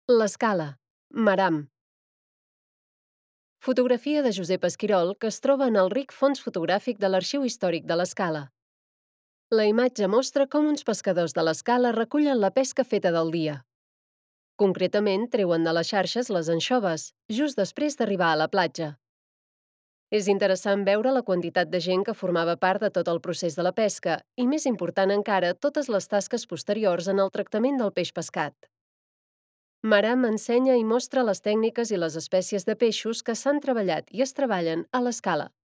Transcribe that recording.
L'Escala, Maram. Fotografia de Josep Esquirol que es troba en el ric fons fotogràfic de l'Arxiu Històric de l'Escala. La imatge mostra com uns pescadors de l'Escala recullen la pesca feta del dia. Concretament, treuen de les xarxes les anxoves, just després d'arribar a la platja. És interessant veure la quantitat de gent que formava part de tot el procés de la pesca i, més important encara, totes les tasques posteriors en el tractament del peix pescat. Maram ensenya i mostra les tècniques i les espècies de peixos que s'han treballat i es treballen a l'Escala.